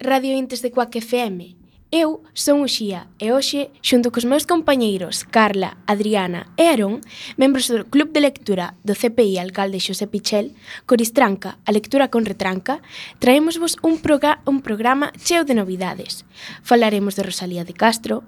Radio Intes de Cuac FM. Eu son Uxía e hoxe, xunto cos meus compañeiros Carla, Adriana e Aarón, membros do Club de Lectura do CPI Alcalde Xosé Pichel, Coristranca, a lectura con retranca, traémosvos un programa cheo de novidades. Falaremos de Rosalía de Castro,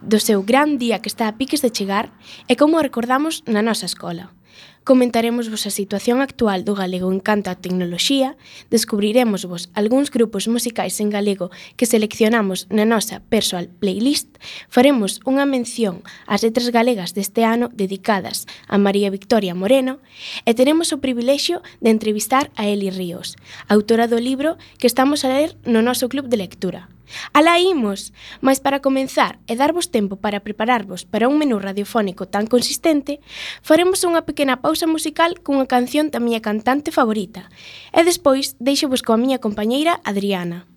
do seu gran día que está a piques de chegar e como o recordamos na nosa escola. Comentaremosvos a situación actual do galego en canto á tecnoloxía, descubriremosvos algúns grupos musicais en galego que seleccionamos na nosa persoal playlist, faremos unha mención ás letras galegas deste ano dedicadas a María Victoria Moreno e teremos o privilexio de entrevistar a Eli Ríos, autora do libro que estamos a ler no noso club de lectura. Alá imos! Mais para comenzar e darvos tempo para prepararvos para un menú radiofónico tan consistente, faremos unha pequena pausa musical cunha canción da miña cantante favorita e despois deixovos coa miña compañeira Adriana.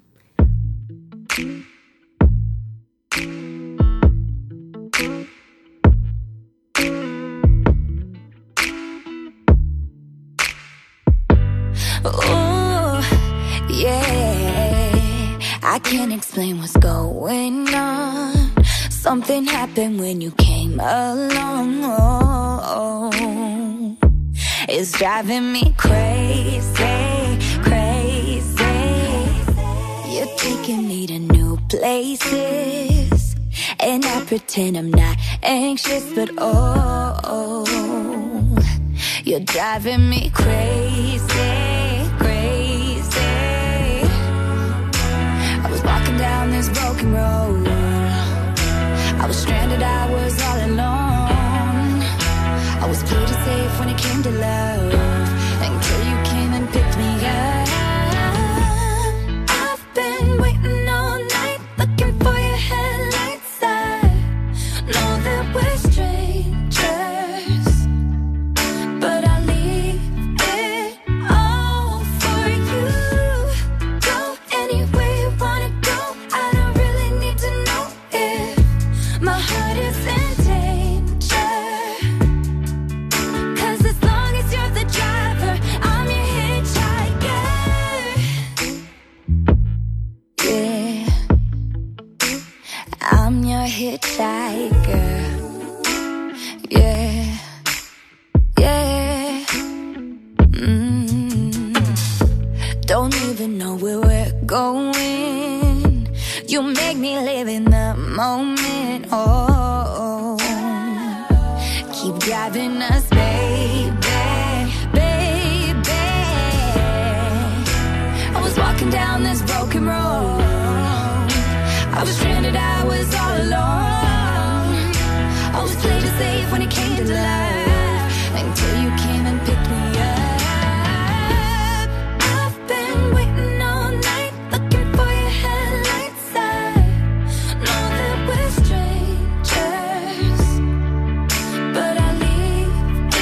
I can't explain what's going on. Something happened when you came along. It's driving me crazy, crazy. You're taking me to new places, and I pretend I'm not anxious, but oh, you're driving me crazy. Walking down this broken road, I was stranded, I was all alone. I was played it safe when it came to love, until you came and picked me up. I've been waiting all night, looking for your headlights. I know that we're strangers, but I leave it all for you. Go anywhere you wanna go. I don't really need to know if my heart is in danger, 'cause as long as you're the driver, I'm your hitchhiker. Yeah, I'm your hitchhiker. Yeah, yeah. Don't even know where we're going. You make me live in the moment. Oh, keep driving us, baby, baby. I was walking down this broken road, I was stranded, I was all alone. I was played it safe when it came to love, until you came and picked me up. I've been waiting all night, looking for your headlights. I know that we're strangers, but I leave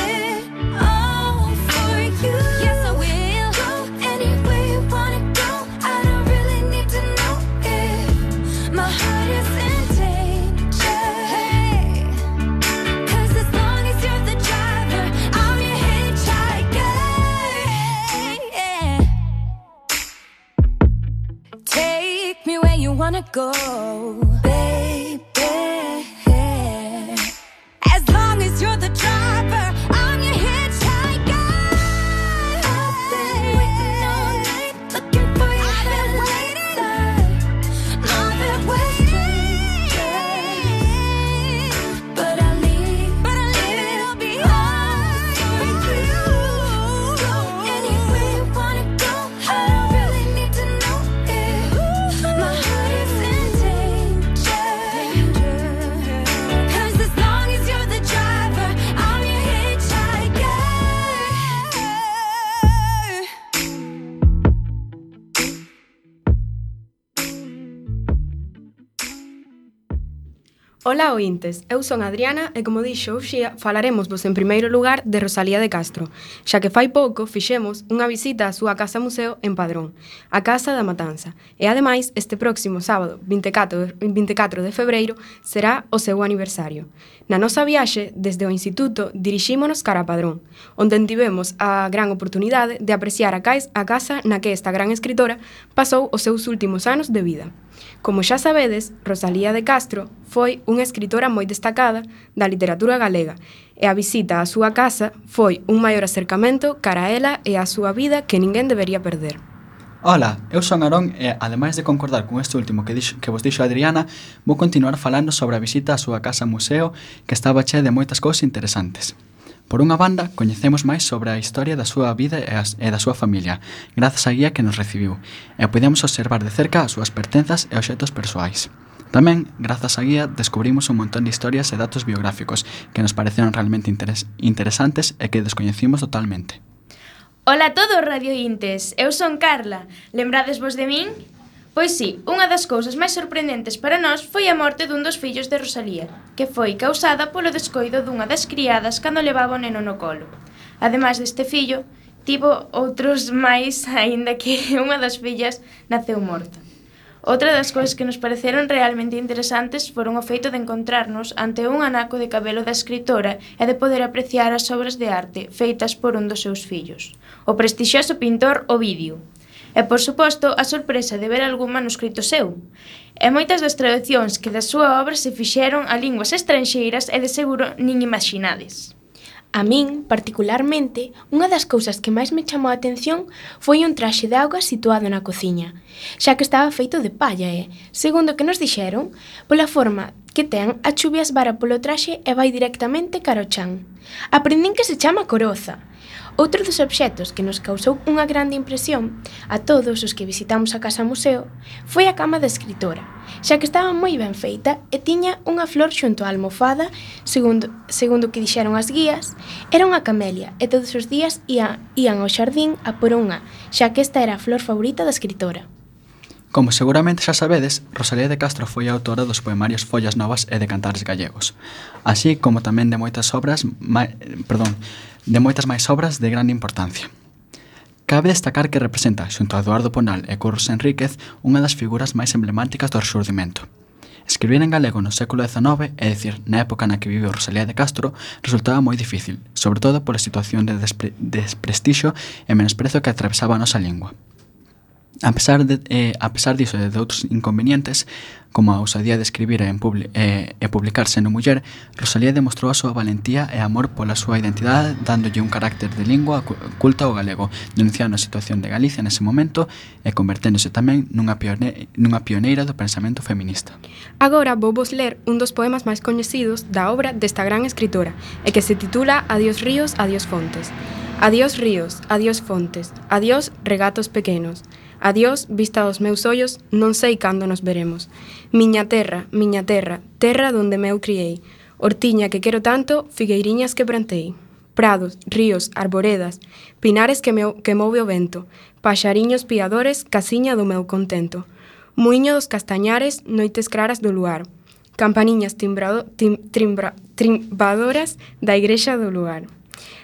it all for you. Yes, I will. Go anywhere you wanna go. I don't really need to know if my heart is in danger. Hey, 'cause as long as you're the driver, I'm your hitchhiker. Yeah. Take me where you wanna go, baby. As long as you're the driver, I'm your hitchhiker. I've been waiting all night, looking for your headlights. Know that we're strangers, but I leave it all behind for you. Go anywhere you wanna go. I don't really need to know if my heart is in danger. Ola ointes, eu son Adriana e como dixo Uxía, falaremos vos en primeiro lugar de Rosalía de Castro, xa que fai pouco fixemos unha visita á súa casa museo en Padrón, a Casa da Matanza, e ademais este próximo sábado, 24 de febreiro, será o seu aniversario. Na nosa viaxe, desde o Instituto, dirixímonos cara a Padrón, onde tivemos a gran oportunidade de apreciar a casa na que esta gran escritora pasou os seus últimos anos de vida. Como xa sabedes, Rosalía de Castro foi unha escritora moi destacada da literatura galega e a visita á súa casa foi un maior acercamento cara a ela e á súa vida que ninguén debería perder. Ola, eu son Aarón e, ademais de concordar con este último que vos dixo Adriana, vou continuar falando sobre a visita á súa casa museo que estaba chea de moitas cousas interesantes. Por unha banda, coñecemos máis sobre a historia da súa vida e da súa familia, grazas á guía que nos recibiu, e podemos observar de cerca as súas pertenzas e obxetos persoais. Tamén, grazas á guía, descubrimos un montón de historias e datos biográficos que nos pareceron realmente interesantes e que descoñecimos totalmente. Ola a todos, radiointes, eu son Carla. Lembrades vos de min? Pois sí, unha das cousas máis sorprendentes para nós foi a morte dun dos fillos de Rosalía, que foi causada polo descoido dunha das criadas cando levaba o neno no colo. Ademais deste fillo, tivo outros máis, aínda que unha das fillas naceu morta. Outra das cousas que nos pareceron realmente interesantes foron o feito de encontrarnos ante un anaco de cabelo da escritora e de poder apreciar as obras de arte feitas por un dos seus fillos, o prestixioso pintor Ovidio. E, por suposto, a sorpresa de ver algún manuscrito seu. E moitas das traducións que da súa obra se fixeron a linguas estranxeiras e de seguro nin imaginades. A min, particularmente, unha das cousas que máis me chamou a atención foi un traxe de auga situado na cociña, xa que estaba feito de palla e, segundo que nos dixeron, pola forma que ten, a chuvia esvara polo traxe e vai directamente cara ao chan. Aprendín que se chama coroza. Outro dos obxetos que nos causou unha grande impresión a todos os que visitamos a casa museo foi a cama da escritora, xa que estaba moi ben feita e tiña unha flor xunto á almofada, segundo que dixeron as guías, era unha camelia e todos os días ían ao xardín a por unha, xa que esta era a flor favorita da escritora. Como seguramente xa sabedes, Rosalía de Castro foi a autora dos poemarios Follas Novas e de Cantares Gallegos, así como tamén de moitas máis obras de grande importancia. Cabe destacar que representa, xunto a Eduardo Ponal e Curros Enríquez, unha das figuras máis emblemáticas do Rexurdimento. Escribir en galego no século XIX, é dicir, na época na que viveu Rosalía de Castro, resultaba moi difícil, sobre todo pola situación de desprestixio e menosprezo que atravesaba a nosa lingua. A pesar diso e de outros inconvenientes, como a ousadía de escribir e publicarse no Muller, Rosalía demostrou a súa valentía e amor pola súa identidade, dándolle un carácter de lingua culta ao galego, denunciando a situación de Galicia nese momento e converténdose tamén nunha pioneira do pensamento feminista. Agora vou vos ler un dos poemas máis coñecidos da obra desta gran escritora e que se titula Adiós ríos, adiós fontes. Adiós ríos, adiós fontes, adiós regatos pequenos. Adiós, vista dos meus ollos, non sei cando nos veremos. Miña terra, terra donde meu criei. Hortiña que quero tanto, figueiriñas que plantei. Prados, ríos, arboredas, pinares que move o vento, paxariños piadores, casiña do meu contento. Muiño dos castañares, noites claras do luar. Campaniñas trimbadoras da igrexa do lugar.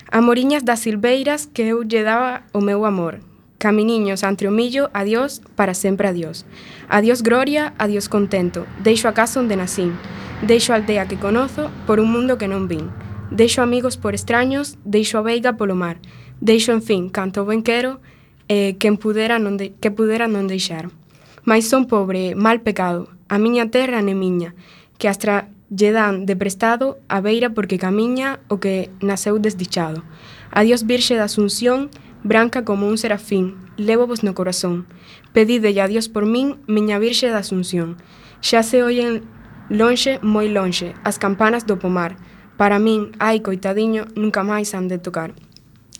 Amoriñas das silveiras que eu lle daba o meu amor. Caminiños entre o millo, adiós, para sempre adiós. Adiós gloria, adiós contento, deixo a casa onde nacín. Deixo a aldea que conozo por un mundo que non vin. Deixo amigos por extraños, deixo a veiga polo mar. Deixo, en fin, canto ben quero, que pudera non deixar. Mais son pobre, mal pecado, a miña terra ne miña, que astra lle dan de prestado a beira porque camiña o que naceu desdichado. Adiós virxe da Asunción, branca como un serafín, lévovos no corazón. Pedidelle a Dios por min, miña virxe da Asunción. Xa se oyen lonxe, moi lonxe, as campanas do pomar. Para min, ai, coitadiño, nunca máis han de tocar.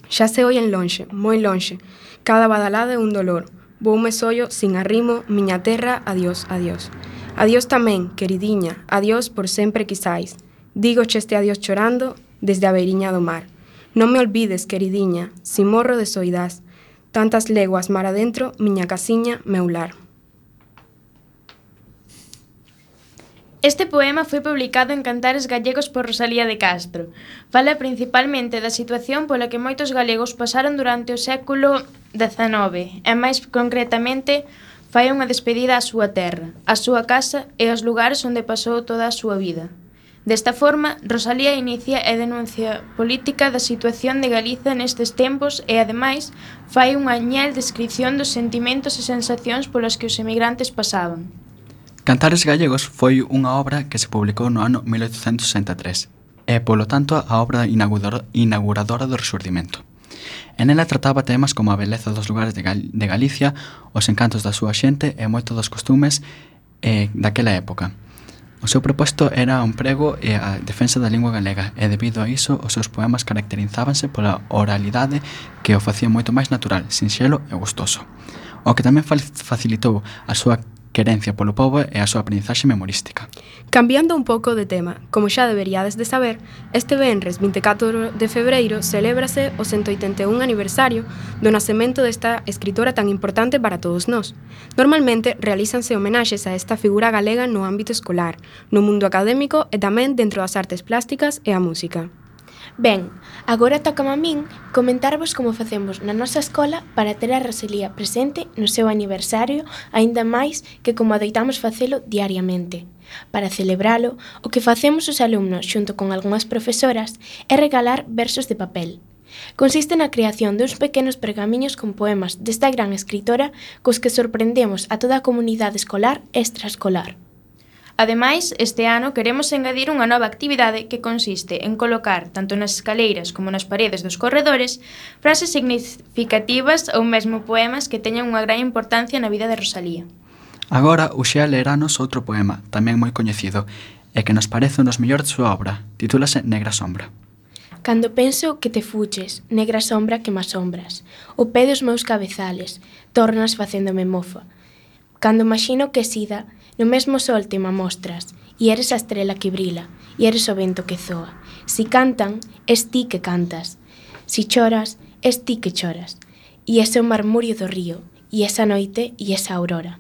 Xa se oyen lonxe, moi lonxe, cada badalada é un dolor. Voume sollo, sin arrimo, miña terra, adiós, adiós. Adiós tamén, queridiña, adiós por sempre quizais. Dígoche este adiós chorando, desde a beiriña do mar. Non me olvides, queridiña, si morro de soidás. Tantas leguas mar adentro, miña casiña, meu lar. Este poema foi publicado en Cantares Gallegos por Rosalía de Castro. Fala principalmente da situación pola que moitos galegos pasaron durante o século XIX e máis concretamente fai unha despedida á súa terra, á súa casa e aos lugares onde pasou toda a súa vida. Desta forma, Rosalía inicia a denuncia política da situación de Galiza nestes tempos e, ademais, fai unha añel descripción dos sentimentos e sensacións polos que os emigrantes pasaban. Cantares Gallegos foi unha obra que se publicou no ano 1863 e, polo tanto, a obra inauguradora do Rexurdimento. En ela trataba temas como a beleza dos lugares de Galicia, os encantos da súa xente e moito dos costumes daquela época. O seu proposto era un prego e a defensa da lingua galega e, debido a iso, os seus poemas caracterizábanse pola oralidade que o facía moito máis natural, sinxelo e gustoso, o que tamén facilitou a súa querencia polo pobo e a súa aprendizaxe memorística. Cambiando un pouco de tema, como xa deberíades de saber, este venres 24 de febreiro celébrase o 181 aniversario do nacemento desta escritora tan importante para todos nós. Normalmente realízanse homenaxes a esta figura galega no ámbito escolar, no mundo académico e tamén dentro das artes plásticas e a música. Ben, agora toca a min comentarvos como facemos na nosa escola para ter a Rosalía presente no seu aniversario, aínda máis que como adoitamos facelo diariamente. Para celebralo, o que facemos os alumnos xunto con algunhas profesoras é regalar versos de papel. Consiste na creación duns pequenos pergamiños con poemas desta gran escritora cos que sorprendemos a toda a comunidade escolar e extraescolar. Ademais, este ano queremos engadir unha nova actividade que consiste en colocar, tanto nas escaleiras como nas paredes dos corredores, frases significativas ou mesmo poemas que teñan unha gran importancia na vida de Rosalía. Agora, Uxea leranos outro poema, tamén moi coñecido, e que nos parece un dos mellores de súa obra. Titúlase Negra sombra. Cando penso que te fuches, negra sombra que me asombras, o pé dos meus cabezales, tornas facéndome mofa. Cando imagino que sida, no mesmo sol te me mostras, e eres a estrela que brila, e eres o vento que zoa. Si cantan, es ti que cantas. Si choras, es ti que choras. E ese o marmurio do río, e esa noite e esa aurora.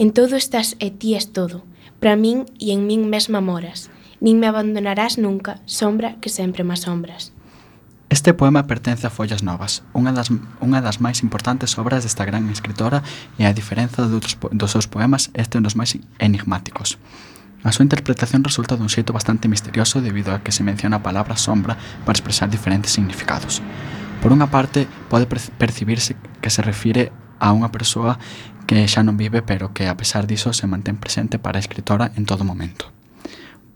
En todo estás e ti es todo, para min e en min mesma moras. Nin me abandonarás nunca, sombra que sempre me asombras. Este poema pertence a Follas Novas, unha das máis importantes obras desta gran escritora e a diferenza dos seus poemas este é un dos máis enigmáticos. A súa interpretación resulta dun xeito bastante misterioso debido a que se menciona a palabra sombra para expresar diferentes significados. Por unha parte, pode percibirse que se refire a unha persoa que xa non vive pero que a pesar diso se mantén presente para a escritora en todo momento.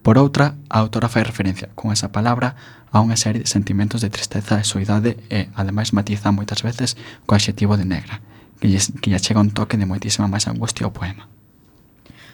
Por outra, a autora fai referencia, con esa palabra, a unha serie de sentimentos de tristeza e soidade e, ademais, matiza moitas veces co adxetivo de negra, que lle chega un toque de moitísima máis angustia ao poema.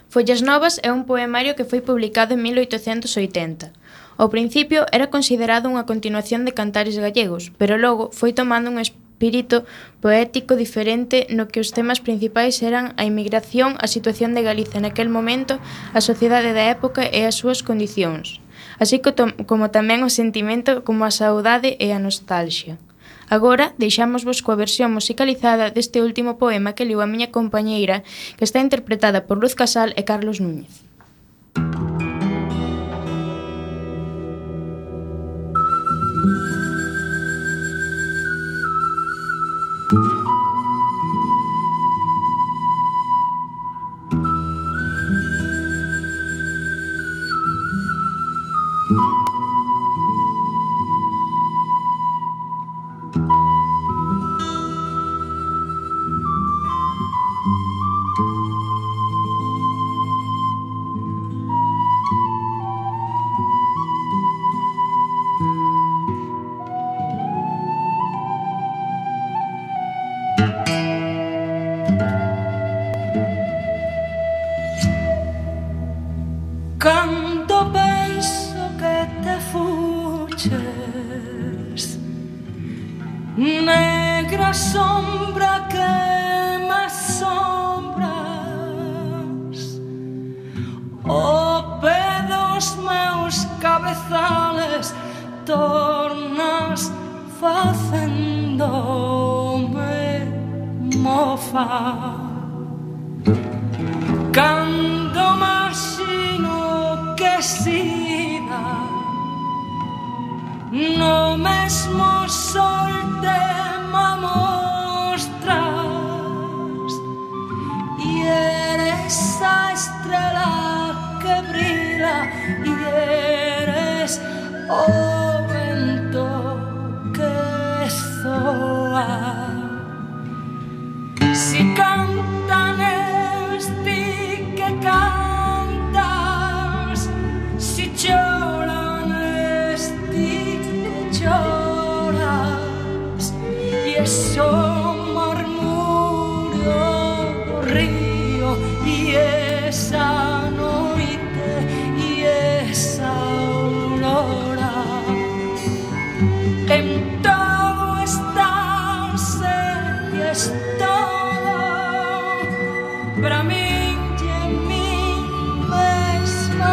Follas Novas é un poemario que foi publicado en 1880. Ao principio era considerado unha continuación de Cantares Gallegos, pero logo foi tomando un espírito poético diferente no que os temas principais eran a inmigración, a situación de Galiza naquel momento, a sociedade da época e as súas condicións, así como tamén o sentimento como a saudade e a nostalgia. Agora deixámosvos coa versión musicalizada deste último poema que leu a miña compañeira, que está interpretada por Luz Casal e Carlos Núñez. Cando penso que te fuches, negra sombra que me asombras, o pé dos meus cabezales tornas facéndome mofa. Cando imagino esquecida no mesmo sol te mostras e eres a estrela que brilla e eres o vento que soa. Si cantan esti que cantas, si lloran esti que lloras, e eso murmurio do río e esa noite e esa aurora. En todo estás e es todo para mí.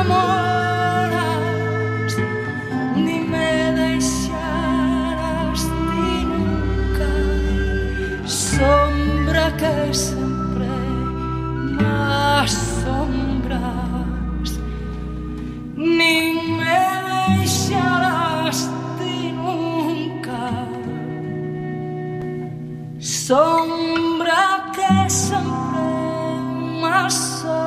Moras, ni me deixarás ti nunca, sombra que sempre me asombras, ni me deixarás ti nunca, sombra que sempre me asombras.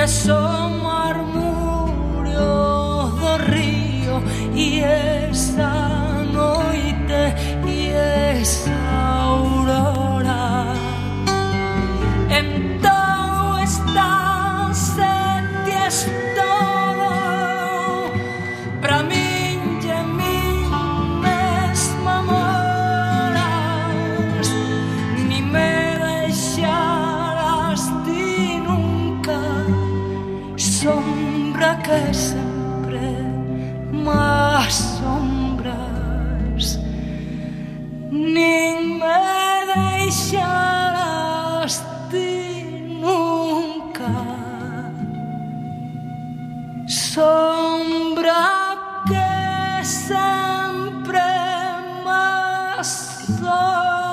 Eso murmurio do río e esa noite e esa aurora. En todo estás e ties todo para min e min mesma moras, ni me deixarás ti nunca, sombra que sempre me asombras, nin me deixarás ti nunca, sombra que sempre me asombras.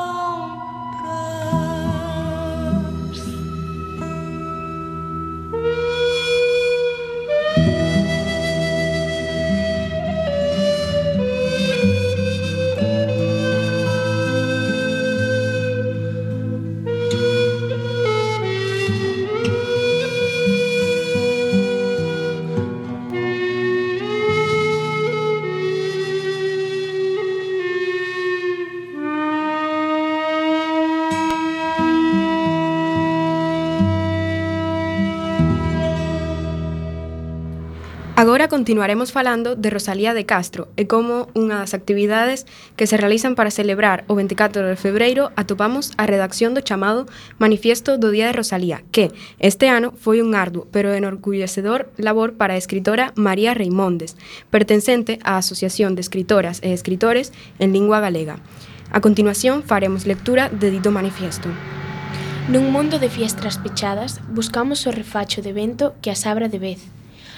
Agora continuaremos falando de Rosalía de Castro e como unha das actividades que se realizan para celebrar o 24 de febreiro atopamos a redacción do chamado Manifiesto do Día de Rosalía, que este ano foi un arduo pero enorgullecedor labor para a escritora María Reimondes, pertencente á Asociación de Escritoras e Escritores en Lingua Galega. A continuación faremos lectura de dito manifiesto. Nun mundo de fiestras pechadas, buscamos o refacho de vento que as abra de vez.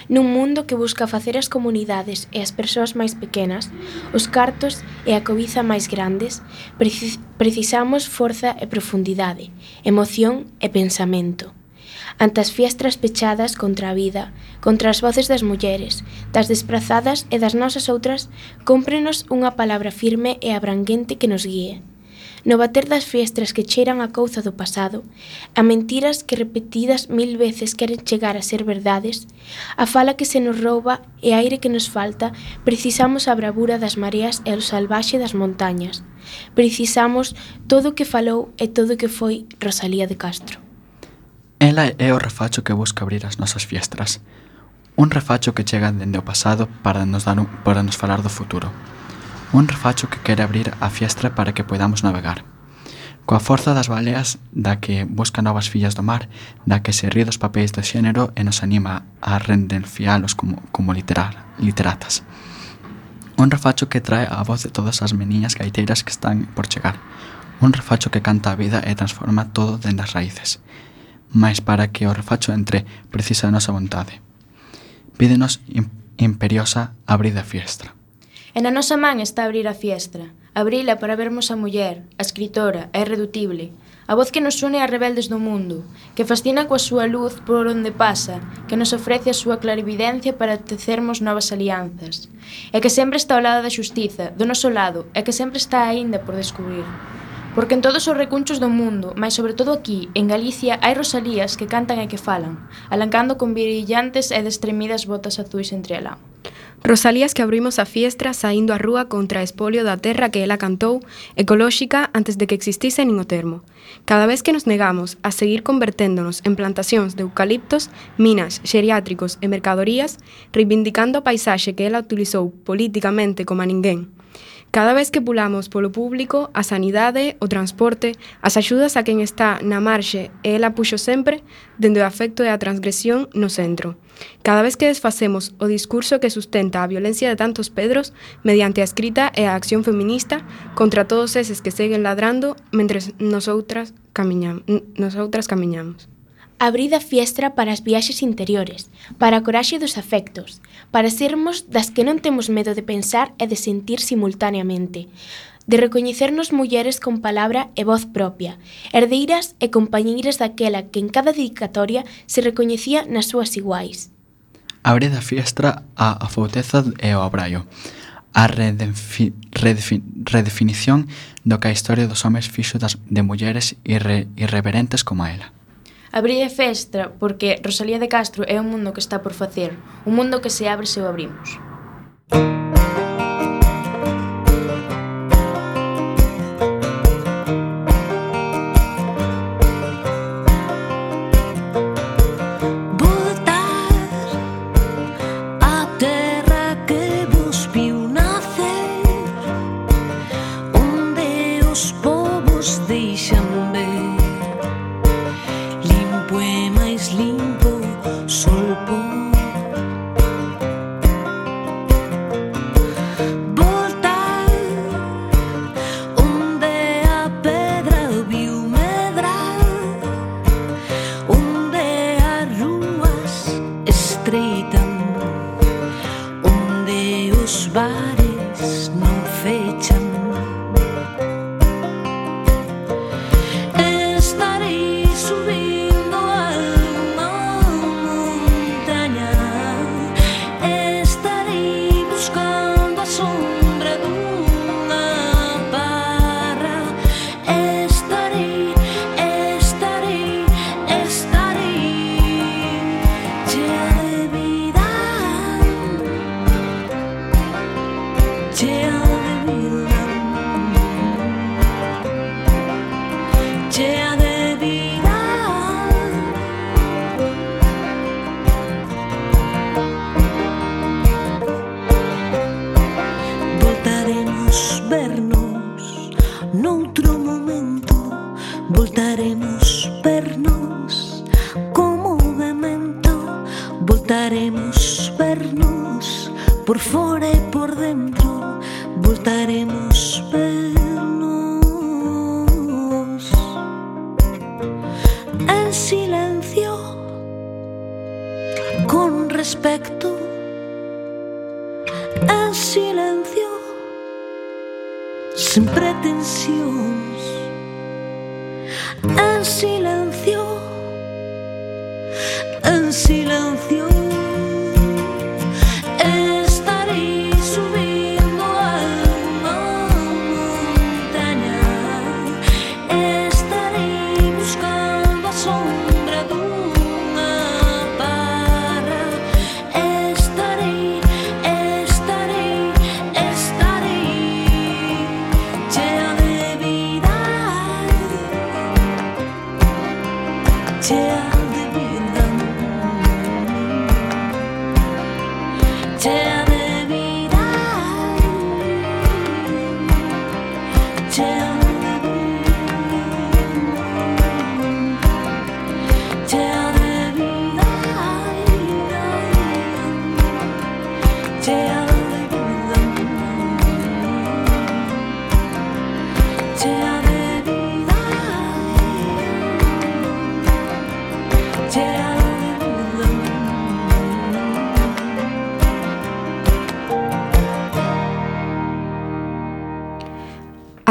Nun mundo que busca facer as comunidades e as persoas máis pequenas, os cartos e a cobiza máis grandes, precisamos forza e profundidade, emoción e pensamento. Ante as fiestras pechadas contra a vida, contra as voces das mulleres, das desprazadas e das nosas outras, cómprenos unha palabra firme e abranguente que nos guíe. no bater das fiestras que cheiran a couza do pasado, a mentiras que repetidas 1000 veces queren chegar a ser verdades, a fala que se nos rouba e aire que nos falta, precisamos a bravura das mareas e o salvaxe das montañas. Precisamos todo o que falou e todo o que foi Rosalía de Castro. Ela é o refacho que busca abrir as nosas fiestras. Un refacho que chega dende o pasado para nos falar do futuro. Un refacho que quere abrir a fiestra para que podamos navegar. Coa forza das baleas da que busca novas fillas do mar, da que se ríe dos papéis do xénero e nos anima a rendencialos como literatas. Un refacho que trae a voz de todas as meniñas gaiteiras que están por chegar. Un refacho que canta a vida e transforma todo dende as raíces. Mais para que o refacho entre, precisa a nosa vontade. Pídenos imperiosa abrir a fiestra. E na nosa man está abrir a fiestra, abrila para vermos a muller, a escritora, a irreductible, a voz que nos une a rebeldes do mundo, que fascina coa súa luz por onde pasa, que nos ofrece a súa clarividencia para tecermos novas alianzas, e que sempre está ao lado da xustiza, do noso lado, e que sempre está aínda por descubrir. Porque en todos os recunchos do mundo, mais sobre todo aquí, en Galicia, hai Rosalías que cantan e que falan, alancando con brillantes e destremidas botas azuis entre a lama. Rosalías que abrimos a fiestra saindo á rúa contra a espolio da terra que ela cantou, ecolóxica antes de que existise nin o termo. Cada vez que nos negamos a seguir converténdonos en plantacións de eucaliptos, minas, xeriátricos e mercadorías, reivindicando a paisaxe que ela utilizou políticamente como a ninguén. Cada vez que pulamos polo público, a sanidade, o transporte, as axudas a quen está na marxe e ela puxo sempre, dende o afecto e a transgresión, no centro. Cada vez que desfacemos o discurso que sustenta a violencia de tantos Pedros mediante a escrita e a acción feminista contra todos eses que seguen ladrando mentres nosotras camiñamos. Abrid a fiestra para as viaxes interiores, para a coraxe dos afectos, para sermos das que non temos medo de pensar e de sentir simultaneamente, de recoñecernos mulleres con palabra e voz propia, herdeiras e compañeiras daquela que en cada dedicatoria se recoñecía nas súas iguais. Abrid a fiestra a afouteza e ao abraio, a redefinición do que a historia dos homes fixo de mulleres irreverentes como a ela. Abrir a fiestra porque Rosalía de Castro é un mundo que está por facer, un mundo que se abre se o abrimos. Voltaremos vernos por fora e por dentro, voltaremos vernos en silencio, con respecto, en silencio, sin pretensións, en silencio, en silencio. Estarei subindo a unha montaña,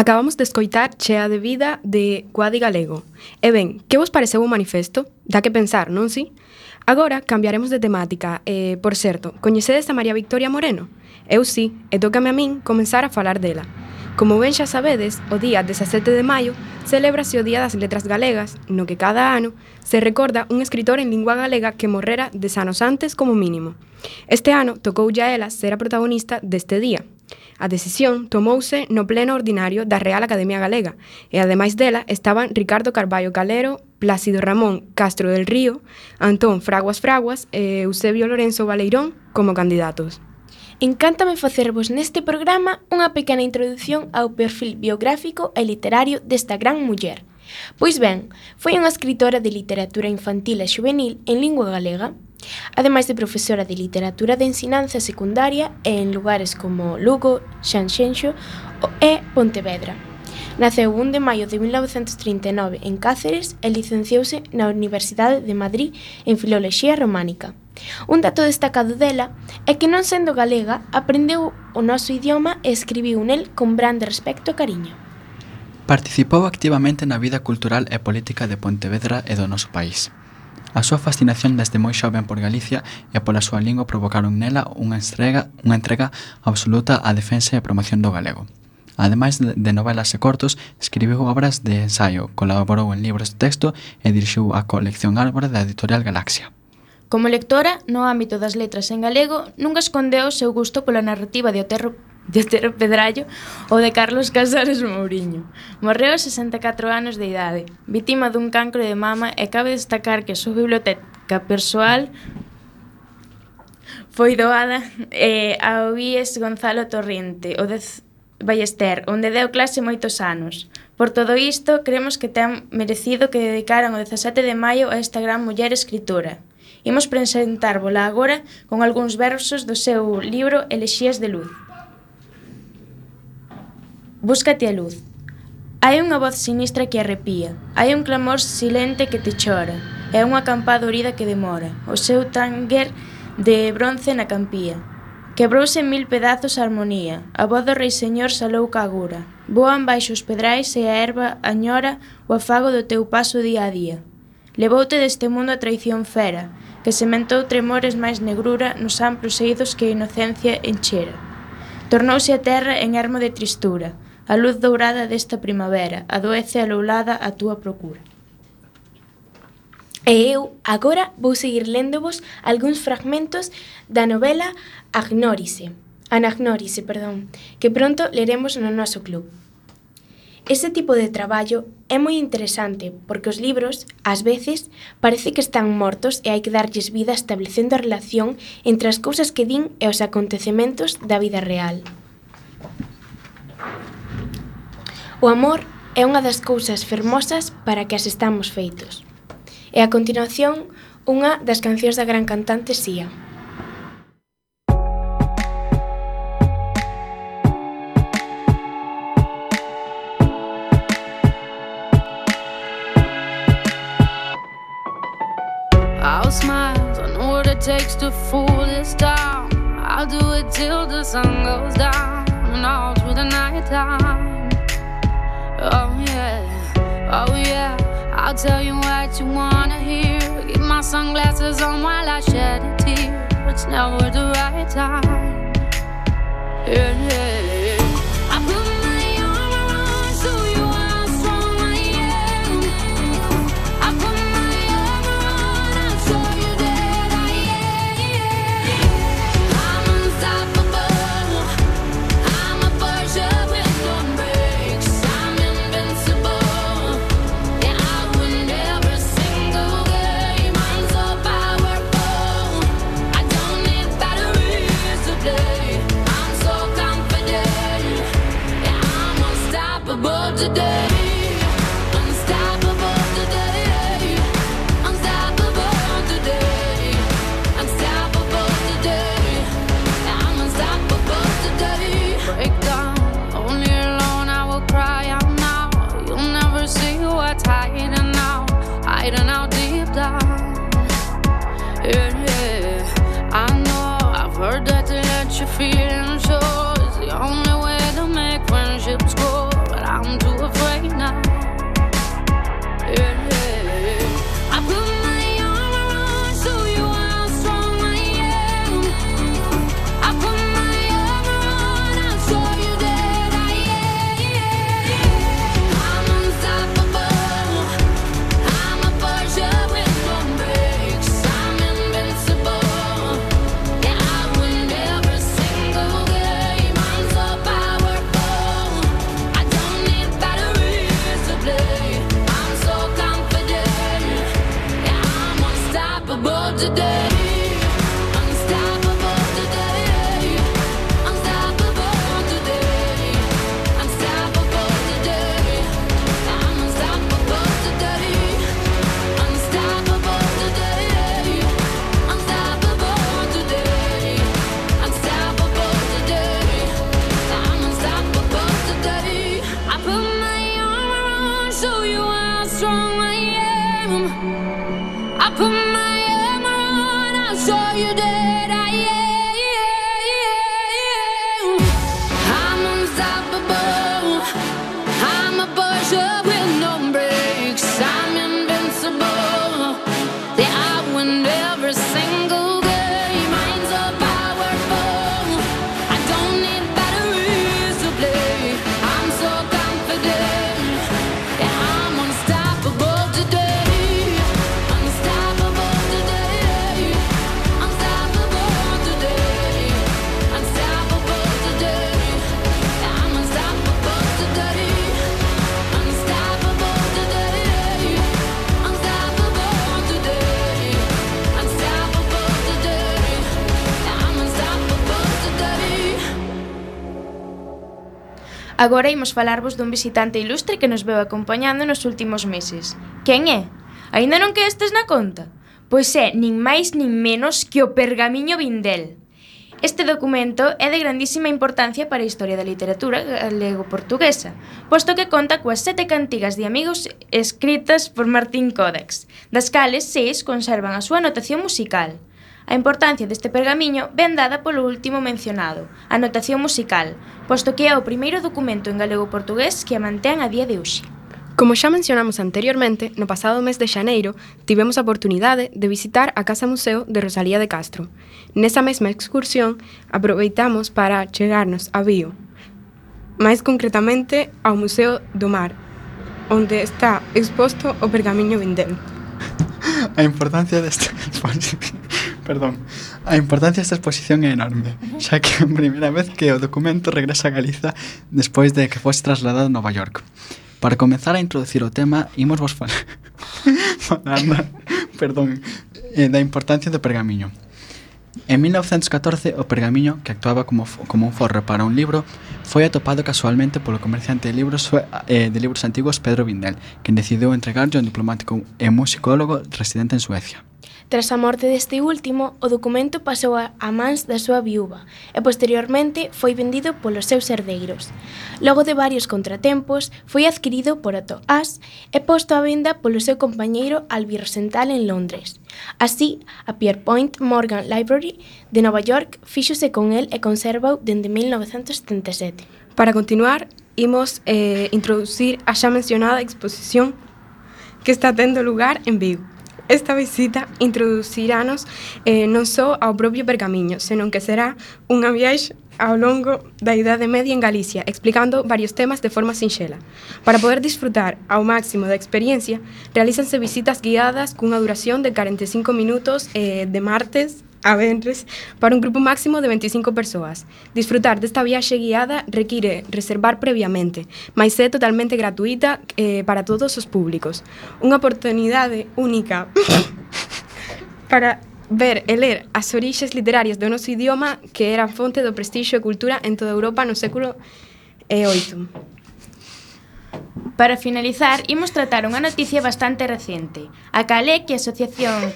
Acabamos de escoitar Chea de vida de Guadi Galego. E ben, que vos pareceu o manifesto? Dá que pensar, non si? Agora cambiaremos de temática. Por certo, coñecedes a María Victoria Moreno? Eu si, e tócame a min comenzar a falar dela. Como ben xa sabedes, o día 17 de maio celébrase o Día das Letras Galegas, no que cada ano se recorda un escritor en lingua galega que morrera 10 anos antes como mínimo. Este ano tocoulle a ela ser a protagonista deste día. A decisión tomouse no pleno ordinario da Real Academia Galega e ademais dela estaban Ricardo Carballo Calero, Plácido Ramón Castro del Río, Antón Fraguas e Eusebio Lorenzo Baleirón como candidatos. Encántame facervos neste programa unha pequena introdución ao perfil biográfico e literario desta gran muller. Pois ben, foi unha escritora de literatura infantil e xuvenil en lingua galega, ademais de profesora de literatura de ensinanza secundaria en lugares como Lugo, Sanxenxo e Pontevedra. Naceu 1 de maio de 1939 en Cáceres e licenciouse na Universidade de Madrid en Filoloxía Románica. Un dato destacado dela é que non sendo galega aprendeu o noso idioma e escribiu nel con grande respecto e cariño. Participou activamente na vida cultural e política de Pontevedra e do noso país. A súa fascinación desde moi xoven por Galicia e pola súa lingua provocaron nela unha entrega absoluta á defensa e promoción do galego. Ademais de novelas e cortos, escribiu obras de ensaio, colaborou en libros de texto e dirixiu a colección Árbore da editorial Galaxia. Como lectora, no ámbito das letras en galego, nunca escondeu o seu gusto pola narrativa de Otero Pedrallo ou de Carlos Casares Mouriño. Morreu aos 64 anos de idade, vítima dun cancro de mama, e cabe destacar que a súa biblioteca persoal foi doada ao IES Gonzalo Torrente, o de Ballester, onde deu clase moitos anos. Por todo isto, creemos que ten merecido que dedicaran o 17 de maio a esta gran muller escritora. Imos presentárvola agora con algúns versos do seu libro Elexías de luz. Búscate a luz. Hai unha voz sinistra que arrepía, hai un clamor silente que te chora, é unha campada orida que demora, o seu tánger de bronce na campía. Quebrouse en 1000 pedazos a armonía, a voz do rei señor salou ca agura, voan baixo os pedrais e a erva añora o afago do teu paso día a día. Levoute deste mundo a traición fera, que sementou tremores máis negrura nos amplos eidos que a inocencia enchera. Tornouse a terra en ermo de tristura, a luz dourada desta primavera, adoece aloulada a túa procura. E eu agora vou seguir léndovos algúns fragmentos da novela Anagnórise, que pronto leremos no noso club. Ese tipo de traballo é moi interesante porque os libros, ás veces, parece que están mortos e hai que darlles vida establecendo a relación entre as cousas que din e os acontecementos da vida real. O amor é unha das cousas fermosas para que as estamos feitos. E a continuación, unha das cancións da gran cantante Sia. I'll smile, I know what it takes to fool this town. I'll do it till the sun goes down and all through the night time. Oh yeah, I'll tell you what you wanna hear. Keep my sunglasses on while I shed a tear. It's never the right time. Yeah. I put my armor on so you are how strong I am. I put my armor on, I'll show you that I am. I'm unstoppable. I'm a Porsche with no brakes. I'm invincible. Yeah, I win every single game. I'm so powerful. I don't need batteries to play. I'm so confident. Yeah, I'm unstoppable today. Unstoppable today. Unstoppable today. Unstoppable today. Yeah, I'm unstoppable today. Break down, only alone I will cry out now. You'll never see what's hiding out deep down. Yeah. I know I've heard that to let your feelings show is the only way to make friendships grow, but I'm before you're dead. I'm unstoppable. I'm a Porsche with no brakes. I'm invincible. Yeah, I win every single game. Mine's so powerful. I don't need batteries to play. I'm so confident. Yeah, I'm unstoppable today. Unstoppable today. Unstoppable today. Unstoppable today. Yeah, I'm unstoppable today. Unstoppable today. Unstoppable today. Unstoppable today. Yeah, I'm unstoppable today. Agora imos falarvos dun visitante ilustre que nos veu acompañando nos últimos meses. Quen é? Aínda non quedestes na conta? Pois é, nin máis nin menos que o Pergamiño Vindel. Este documento é de grandísima importancia para a historia da literatura galego-portuguesa, posto que conta coas 7 cantigas de amigos escritas por Martín Codax, das cales 6 conservan a súa notación musical. A importancia deste pergamiño ven dada polo último mencionado, a notación musical, posto que é o primeiro documento en galego-portugués que a mantén a día de hoxe. Como xa mencionamos anteriormente, no pasado mes de xaneiro tivemos a oportunidade de visitar a Casa Museo de Rosalía de Castro. Nesa mesma excursión aproveitamos para chegarnos a Vío, máis concretamente ao Museo do Mar, onde está exposto o Pergamiño Vindel. A importancia desta exposición é enorme, xa que é a primeira vez que o documento regresa a Galiza despois de que fose trasladado a Nova York. Para comenzar a introducir o tema, imos vos falar da importancia do pergamiño. En 1914, o pergamiño, que actuaba como un forro para un libro, foi atopado casualmente polo comerciante de libros antigos Pedro Vindel, quen decidiu entregarlle a un diplomático e musicólogo residente en Suecia. Tras a morte deste último, o documento pasou a mans da súa viúva e posteriormente foi vendido polos seus herdeiros. Logo de varios contratempos, foi adquirido por Otto Ass e posto á venda polo seu compañeiro Albi Rosenthal en Londres. Así, a Pierpont Morgan Library de Nova York fíxose con el e conservou dende 1977. Para continuar, imos introducir a xa mencionada exposición que está tendo lugar en Vigo. Esta visita introducirános non só ao propio pergamiño, senón que será unha viaxe ao longo da Idade Media en Galicia, explicando varios temas de forma sinxela. Para poder disfrutar ao máximo da experiencia, realízanse visitas guiadas cunha duración de 45 minutos de martes a venres para un grupo máximo de 25 persoas. Disfrutar desta viaxe guiada require reservar previamente, mais é totalmente gratuita para todos os públicos. Unha oportunidade única para ver e ler as orixes literarias do noso idioma, que era fonte do prestixio e cultura en toda Europa no século VIII. Para finalizar, imos tratar unha noticia bastante recente. A cal é que a Asociación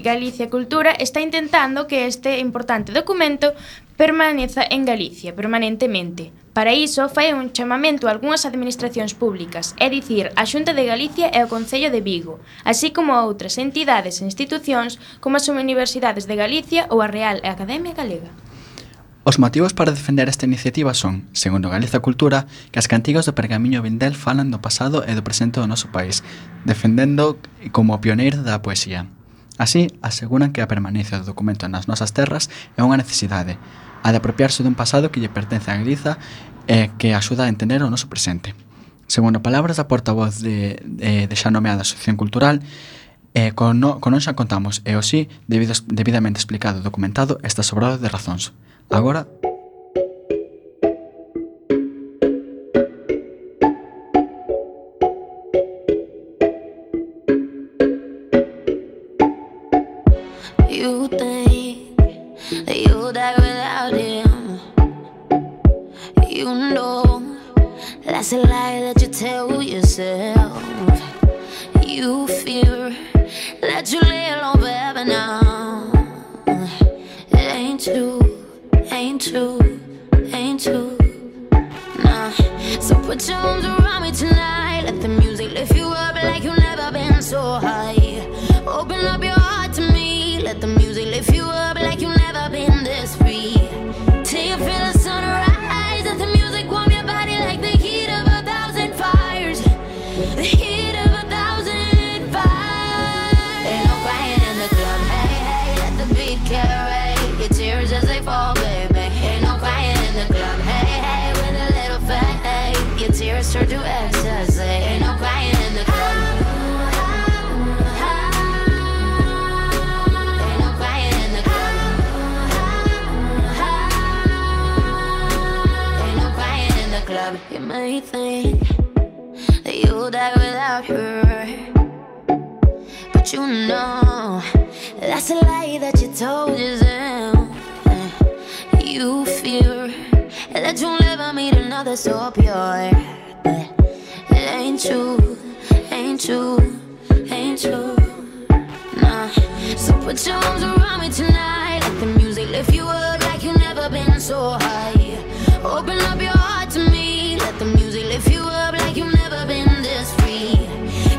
Galicia Cultura está intentando que este importante documento permaneza en Galicia permanentemente. Para iso, fai un chamamento a algunhas administracións públicas, é dicir, a Xunta de Galicia e o Concello de Vigo, así como a outras entidades e institucións como as Universidades de Galicia ou a Real Academia Galega. Os motivos para defender esta iniciativa son, segundo Galiza Cultura, que as cantigas do Pergamiño Vindel falan do pasado e do presente do noso país, defendendo como pioneiro da poesía. Así, aseguran que a permanencia do documento nas nosas terras é unha necesidade, a de apropiarse dun pasado que lle pertence a Galiza e que axuda a entender o noso presente. Segundo palabras da portavoz de xa nomeada Asociación Cultural, con non xa contamos, e o sí, debidamente explicado e documentado, está sobrado de razóns. Agora... You think that you'll die without him. You know that's a lie that you tell yourself. You fear that you lay alone forever now. It ain't true, ain't true, ain't true. Nah. So put your arms around me tonight. Let the music lift you up like you've never been so high. Open up your heart to me. Let the music lift you me think that you'll die without her. But you know that's a lie that you told yourself. You fear that you'll never meet another so pure. But it ain't true, ain't true, ain't true. Nah. So put your arms around me tonight. Let the music lift you up like you've never been so high. Open up your heart to me. Let the music lift you up like you've never been this free.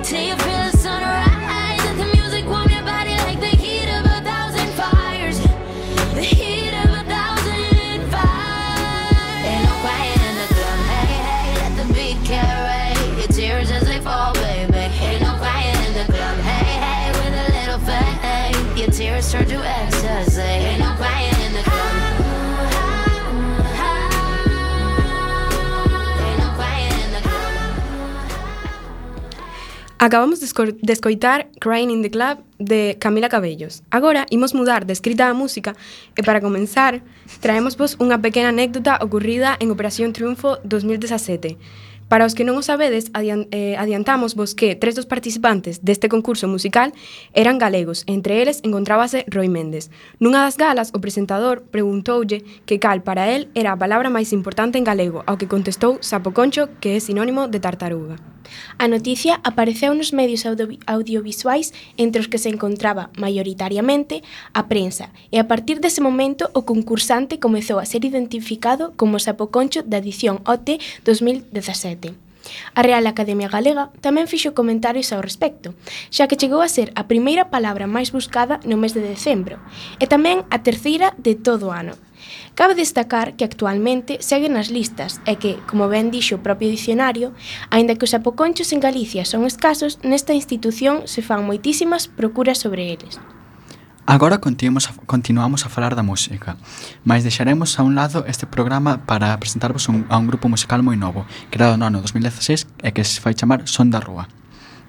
Till you feel the sunrise. Let the music warm your body like the heat of 1,000 fires. The heat of 1,000 fires. Ain't no quiet in the club. Hey, hey, let the beat carry your tears as they fall, baby. Ain't no quiet in the club. Hey, hey, with a little faith, your tears turn to ecstasy. Ain't no quiet in the club. Acabamos de escoitar Crying in the Club de Camila Cabellos. Agora imos mudar de escrita a música e para comenzar traémosvos unha pequena anécdota ocorrida en Operación Triunfo 2017. Para os que non o sabedes, adiantámosvos que 3 dos participantes deste concurso musical eran galegos, entre eles encontrábase Roi Méndez. Nunha das galas, o presentador preguntoulle que cal para el era a palabra máis importante en galego, ao que contestou sapoconcho, que é sinónimo de tartaruga. A noticia apareceu nos medios audiovisuais entre os que se encontraba maioritariamente a prensa e a partir dese momento o concursante comezou a ser identificado como sapoconcho da edición OT 2017. A Real Academia Galega tamén fixo comentarios ao respecto, xa que chegou a ser a primeira palabra máis buscada no mes de decembro e tamén a terceira de todo o ano. Cabe destacar que actualmente segue nas listas e que, como ben dixo o propio dicionario, aínda que os sapoconchos en Galicia son escasos, nesta institución se fan moitísimas procuras sobre eles. Agora continuamos a falar da música, mas deixaremos a un lado este programa para presentarvos a un grupo musical moi novo, creado no ano 2016 e que se fai chamar Son da Rúa.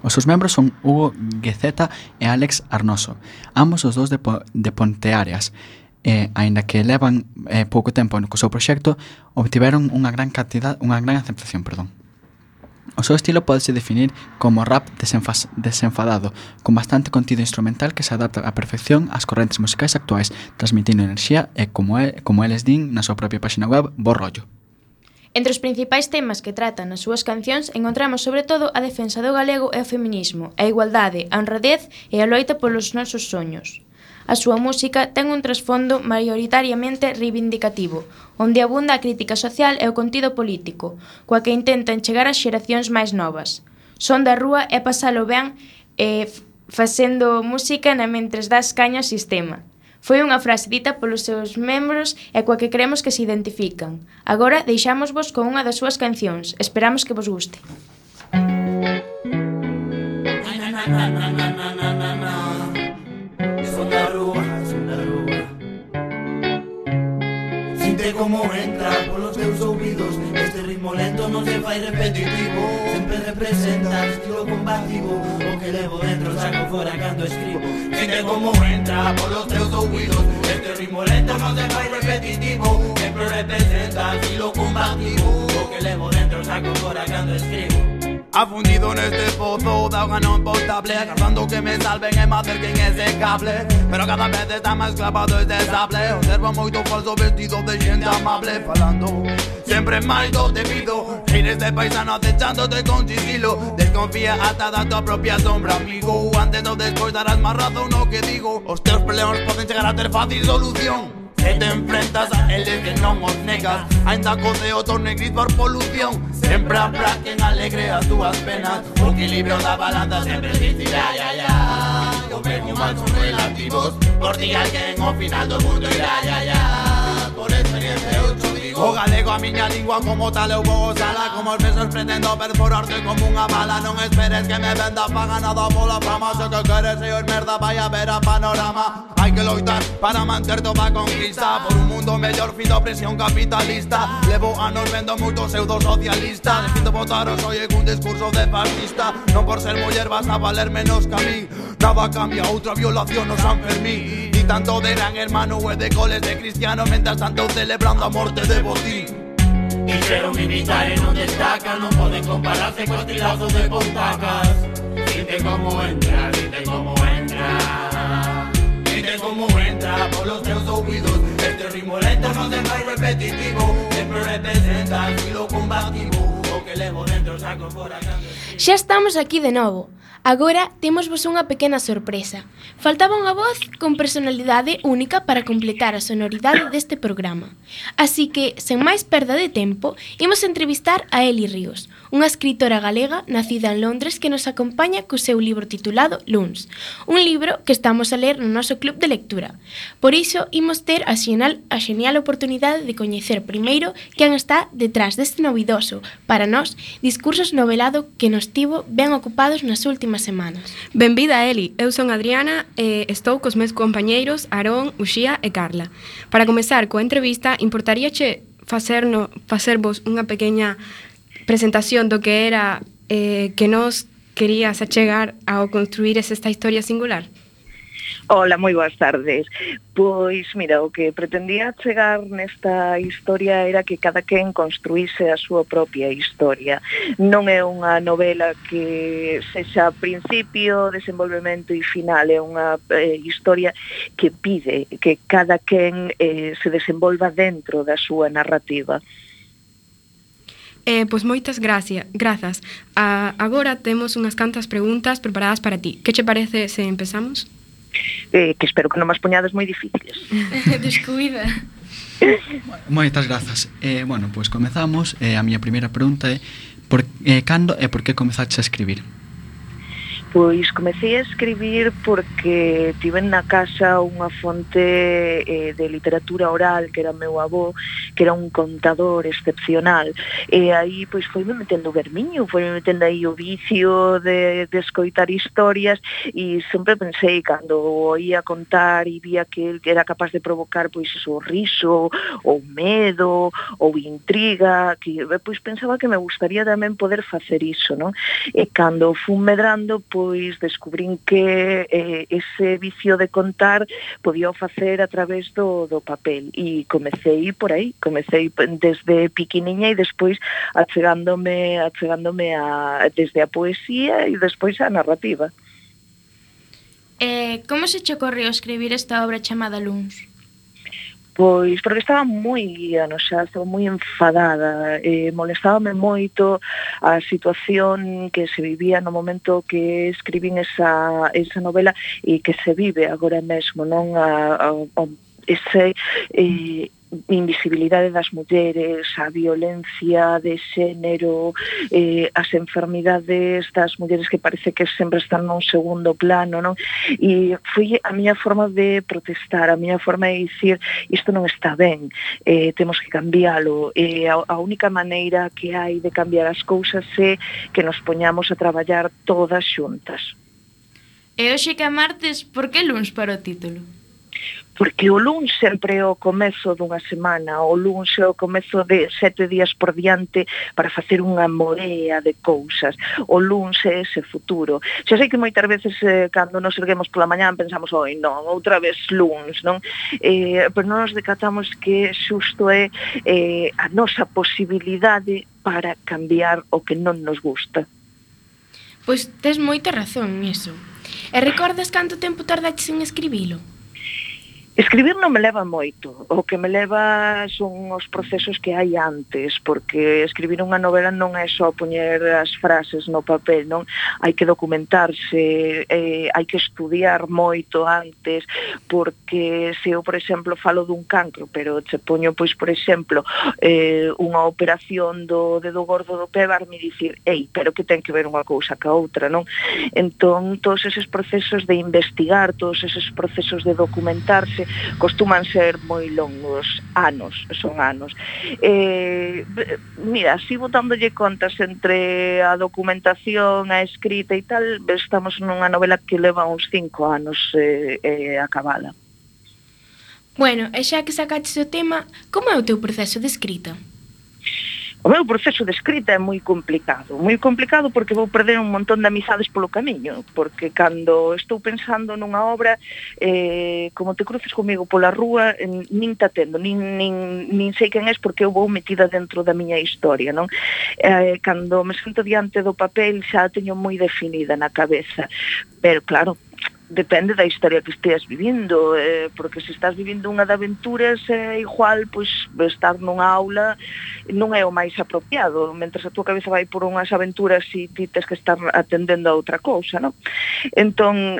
Os seus membros son Hugo Guezeta e Alex Arnoso, ambos os dous de Ponteareas, aínda que levan pouco tempo co seu proxecto, obtiveron unha gran aceptación. O seu estilo pódese definir como rap desenfadado, con bastante contido instrumental que se adapta á perfección ás correntes musicais actuais, transmitindo enerxía e, como eles din na súa propia páxina web, bo rollo. Entre os principais temas que tratan nas súas cancións encontramos sobre todo a defensa do galego e o feminismo, a igualdade, a honradez e a loita polos nosos soños. A súa música ten un trasfondo maioritariamente reivindicativo, onde abunda a crítica social e o contido político, coa que intentan chegar ás xeracións máis novas. Son da rúa é pasalo ben facendo música na mentres das caña ao sistema. Foi unha frase dita polos seus membros e coa que creemos que se identifican. Agora deixámosvos con unha das súas cancións. Esperamos que vos guste. Sinte como entra polos teus ouvidos. Este ritmo lento non se fai repetitivo. Sempre representa o estilo combativo. O que levo dentro saco fora cando escribo. Sinte como entra polos teus ouvidos. Este ritmo lento non se fai repetitivo. Sempre representa o estilo combativo. O que levo dentro saco fora cando escribo. Afundido neste pozo de auga non potable, agardando que me salven e me acerquen ese cable. Pero cada vez está máis clavado este sable. Observo moito falso vestido de xente amable, falando sempre máis do debido. Eres de paisano acechándote con sigilo. Desconfía ata da tua propia sombra, amigo. Antes ou despois darás máis razón no que digo. Os teus problemas poden chegar a ter fácil solución. Se te enfrentas a eles que non os negas, ainda co ceo torne gris por polución. Sempre habrá quen alegre as túas penas. O equilibrio da balanza sempre existirá, O ben e o mal son relativos. Por ti alguén ao final do mundo irá, Por experiencia eu te digo. O galego a miña lingua como tal eu vou usala. Como os besos pretendo perforarte como unha bala. Non esperes que me venda paga nada pola fama. Se que queres ser merda vai a ver a panorama. Hai que loitar para manter toda a conquista. Por un mundo mellor fin da opresión capitalista. Levo anos vendo moito pseudo-socialista. Defindo votar o soy un discurso de fascista. Non por ser muller vas a valer menos que a mí. Nada cambia, outra violación no San Fermín. Ni tanto de gran hermano e de coles de cristiano. Mentras tanto celebrando a morte de Botín. Quixeron imitar e non destacan, non poden compararse cos tilazos de Pontacas. Dite como entra, dite como entra, dite como entra polos teus ouvidos. Este ritmo lento non se fai repetitivo, sempre representa estilo combativo. O que levo dentro saco fora cando... Xa estamos aquí de novo. Agora temos vos unha pequena sorpresa. Faltaba unha voz con personalidade única para completar a sonoridade deste programa. Así que, sen máis perda de tempo, imos entrevistar a Eli Ríos, unha escritora galega nacida en Londres que nos acompaña co seu libro titulado Luns, un libro que estamos a ler no noso club de lectura. Por iso, imos ter a genial oportunidade de coñecer primeiro quen está detrás deste novidoso, para nós, discursos novelado que nos tivo ben ocupados nas últimas semanas. Benvida, Eli. Eu son Adriana e estou cos meus compañeiros Aarón, Uxía e Carla. Para comezar coa entrevista, importaríache facervos unha pequena presentación do que era que nos querías achegar ao construir esta historia singular? Hola, moi boas tardes. Pois, mira, o que pretendía chegar nesta historia era que cada quen construíse a súa propia historia. Non é unha novela que sexa principio, desenvolvemento e final, é unha historia que pide que cada quen se desenvolva dentro da súa narrativa. Pois moitas grazas. Agora temos unhas cantas preguntas preparadas para ti. Que che parece se empezamos? Que espero que non mas poñades moi difíciles. Descuida. Moitas grazas. Bueno, pois comezamos. A miña primeira pregunta é cando e por que comezaste a escribir? Pois comecei a escribir porque tiven na casa unha fonte de literatura oral que era meu avó, que era un contador excepcional, e aí pois foi-me metendo o vermiño, foi-me metendo aí o vicio de escoitar historias, e sempre pensei, cando o oía contar e vía que el era capaz de provocar pois o riso, ou medo, ou intriga, que pois pensaba que me gustaría tamén poder facer iso, non? E cando fun medrando, pois descubrín que ese vicio de contar podía facer a través do papel, e comecei por aí, comecei desde piquiniña e despois achegándome desde a poesía e despois a narrativa. Como se che ocorreu escribir esta obra chamada Luns? Pois porque estaba moi anoxada, estaba moi enfadada, molestábame moito a situación que se vivía no momento que escribín esa novela e que se vive agora mesmo, non? Ese invisibilidade das mulleres, a violencia de xénero, as enfermidades das mulleres que parece que sempre están nun segundo plano, non? E foi a miña forma de protestar, a miña forma de dicir isto non está ben, temos que cambiálo, a única maneira que hai de cambiar as cousas é que nos poñamos a traballar todas xuntas. E hoxe que é martes, por que luns para o título? Porque o luns sempre é o comezo dunha semana, o luns é o comezo de 7 días por diante para facer unha morea de cousas. O luns é ese futuro. Xa sei que moitas veces cando nos erguemos pola mañán pensamos, oi non, outra vez luns, non? Pero non nos decatamos que xusto é a nosa posibilidade para cambiar o que non nos gusta. Pois tes moita razón niso. E recordas canto tempo tardaches en escribilo? Escribir non me leva moito, o que me leva son os procesos que hai antes, porque escribir unha novela non é só poñer as frases no papel, non? Hai que documentarse, hai que estudiar moito antes, porque se eu, por exemplo, falo dun cancro, pero che poño, pois, por exemplo, unha operación do dedo gordo do pé, varme dicir, pero que ten que ver unha cousa ca outra, non? Entón, todos eses procesos de investigar, todos eses procesos de documentarse, costuman ser moi longos, son anos. Mira, así botándolle contas entre a documentación, a escrita e tal, estamos nunha novela que leva uns 5 anos acabada. Bueno, e xa que sacaches o tema, como é o teu proceso de escrita? O meu proceso de escrita é moi complicado porque vou perder un montón de amizades polo camiño, porque cando estou pensando nunha obra, como te cruces comigo pola rúa, nin te atendo, nin sei quen és porque eu vou metida dentro da miña historia, non? Cando me sento diante do papel xa a teño moi definida na cabeza, pero claro, depende da historia que esteas vivindo, porque se estás vivindo unha de aventuras, igual, pois, estar nunha aula non é o máis apropiado, mentre a tua cabeza vai por unhas aventuras e ti tes que estar atendendo a outra cousa, non? Entón,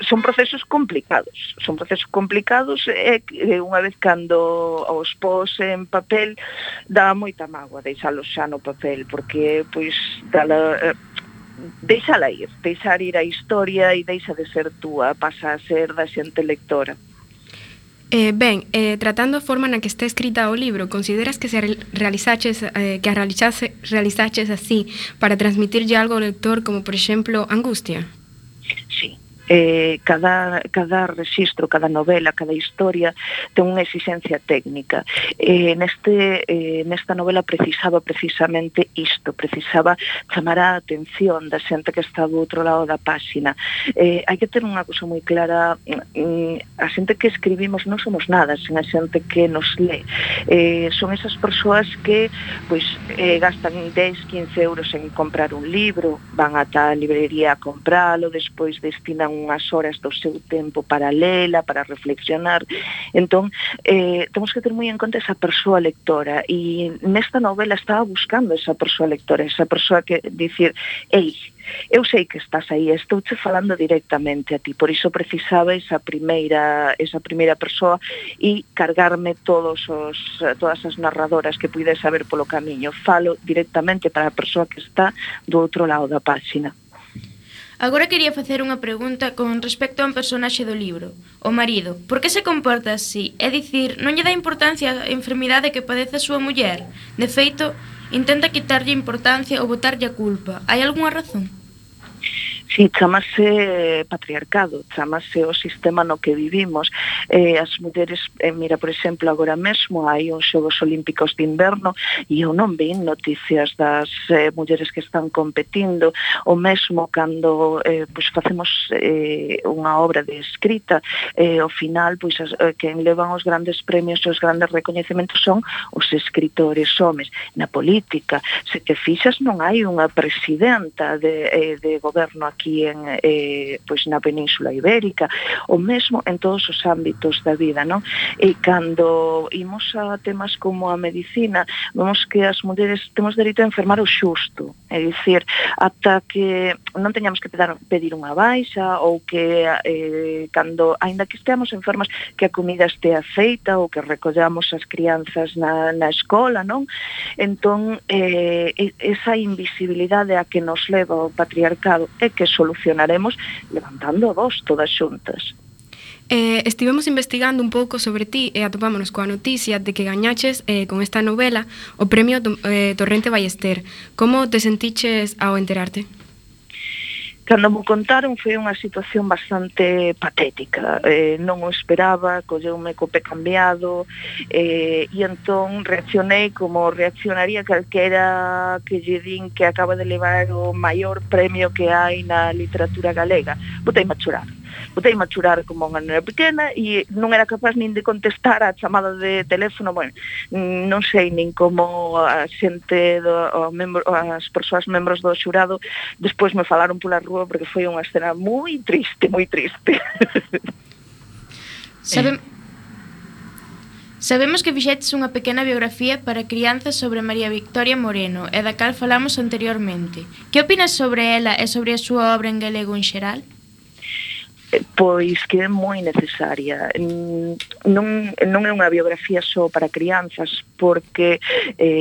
son procesos complicados, e unha vez cando os pos en papel, dá moita mágoa deixalos xa no papel, porque, pois, deixar ir a historia e deixa de ser túa, pasa a ser da xente lectora. Tratando a forma na que está escrita o libro, consideras que se realizaches así para transmitirlle algo ao lector, como por exemplo angustia? Sí. Cada rexistro, cada novela, cada historia ten unha exigencia técnica. Nesta novela precisaba precisamente isto, precisaba chamar a atención da xente que está do outro lado da páxina. Hai que ter unha cousa moi clara, a xente que escribimos non somos nada sen a xente que nos lé. Son esas persoas que pois gastan 10-15 euros en comprar un libro, van ata a librería a compralo, despois destinan unhas horas do seu tempo para lela, para reflexionar. Entón, temos que ter moi en conta esa persoa lectora, e nesta novela estaba buscando esa persoa lectora, esa persoa que dicir, ei, eu sei que estás aí, estouche falando directamente a ti, por iso precisaba esa primeira persoa e cargarme todas as narradoras que puides saber polo camiño. Falo directamente para a persoa que está do outro lado da páxina. Agora quería facer unha pregunta con respecto a un personaxe do libro, o marido. Por que se comporta así? É dicir, non lle dá importancia a enfermidade que padece a súa muller? De feito, intenta quitarlle importancia ou botarlle a culpa. Hai algunha razón? Sí, chamase patriarcado, chamase o sistema no que vivimos. As mulleres, mira, por exemplo, agora mesmo hai uns Xogos Olímpicos de Inverno e eu non vi noticias das mulleres que están competindo, o mesmo cando pois facemos unha obra de escrita, ao final, pois quen levan os grandes premios e os grandes recoñecementos son os escritores homes. Na política, se te fixas, non hai unha presidenta de goberno aquí pois na Península Ibérica, o mesmo en todos os ámbitos da vida, non? E cando imos a temas como a medicina, vemos que as mulleres temos dereito a enfermar o xusto, é dicir, ata que non teñamos que pedir unha baixa, ou que cando, aínda que esteamos enfermas, que a comida estea feita, ou que recollamos as crianzas na escola, non? Entón, esa invisibilidade a que nos leva o patriarcado é que solucionaremos levantando a voz todas xuntas. Estivemos investigando un pouco sobre ti e atopámonos coa noticia de que gañaches con esta novela o premio Torrente Ballester. Como te sentiches ao enterarte? Cando me contaron foi unha situación bastante patética, non o esperaba, colleume co pé cambiado, e entón reaccionei como reaccionaría calquera que lle din que acaba de levar o maior premio que hai na literatura galega. Boteime a chorar como unha nena pequena e non era capaz nin de contestar a chamada de teléfono. Bueno, non sei nin como a xente, as persoas membros do xurado despois me falaron pola rúa, porque foi unha escena moi triste, moi triste. Sabemos que fixetes unha pequena biografía para crianzas sobre María Victoria Moreno, e da cal falamos anteriormente. Que opinas sobre ela e sobre a súa obra en galego en xeral? Pois que é moi necesaria. Non é unha biografía só para crianzas, porque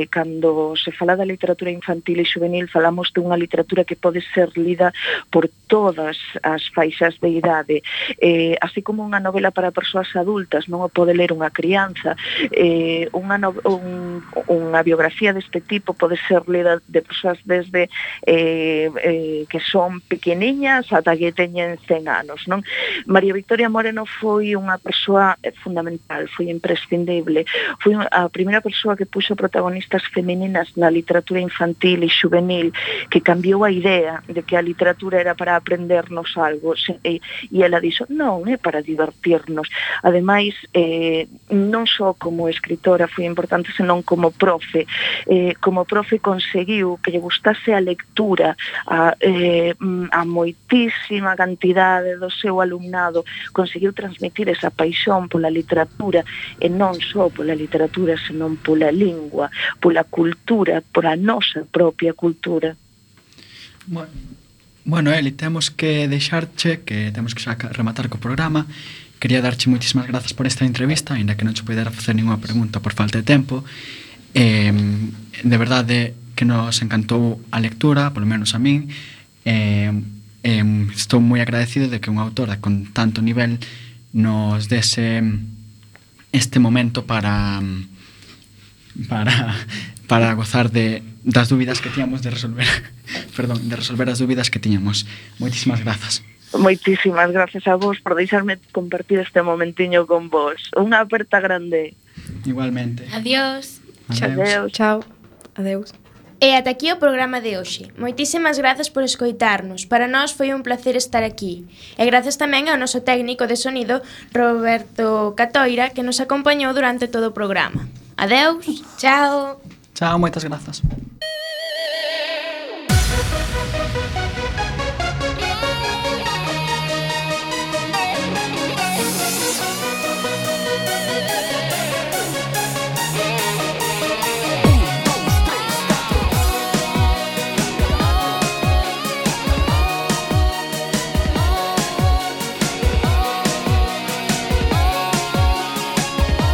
cando se fala da literatura infantil e juvenil falamos de unha literatura que pode ser lida por todas as faixas de idade, así como unha novela para persoas adultas non o pode ler unha crianza, unha biografía deste tipo pode ser lida de persoas desde que son pequeniñas ata que teñen 100 anos, non? María Victoria Moreno foi unha persoa fundamental, foi imprescindible, foi a primeira persoa que puxo protagonistas femininas na literatura infantil e juvenil, que cambiou a idea de que a literatura era para aprendernos algo, e ela dixo, non, é para divertirnos. Ademais, non só como escritora foi importante, senón como profe. Como profe conseguiu que lle gustase a lectura a moitísima cantidade do seu alumnado, conseguiu transmitir esa paixón pola literatura, e non só pola literatura, senón pola lingua, pola cultura, pola nosa propia cultura. Bueno, Eli, temos que deixarche, que temos que xa rematar co programa. Quería darche moitísimas grazas por esta entrevista, ainda que non che poidera facer ninguna pregunta por falta de tempo. De verdade que nos encantou a lectura, polo menos a min. Estou moi agradecido de que unha autora con tanto nivel nos dese este momento para gozar das dúbidas que tiñamos de resolver as dúbidas que tiñamos. Moitísimas grazas. Moitísimas grazas a vos por deixarme compartir este momentiño con vos. Unha aperta grande. Igualmente. Adiós. Adeus. Chao. Adeus. E ata aquí o programa de hoxe. Moitísimas grazas por escoitarnos. Para nós foi un placer estar aquí. E grazas tamén ao noso técnico de sonido, Roberto Catoira, que nos acompañou durante todo o programa. Adeus. Chao. Chao, moitas grazas.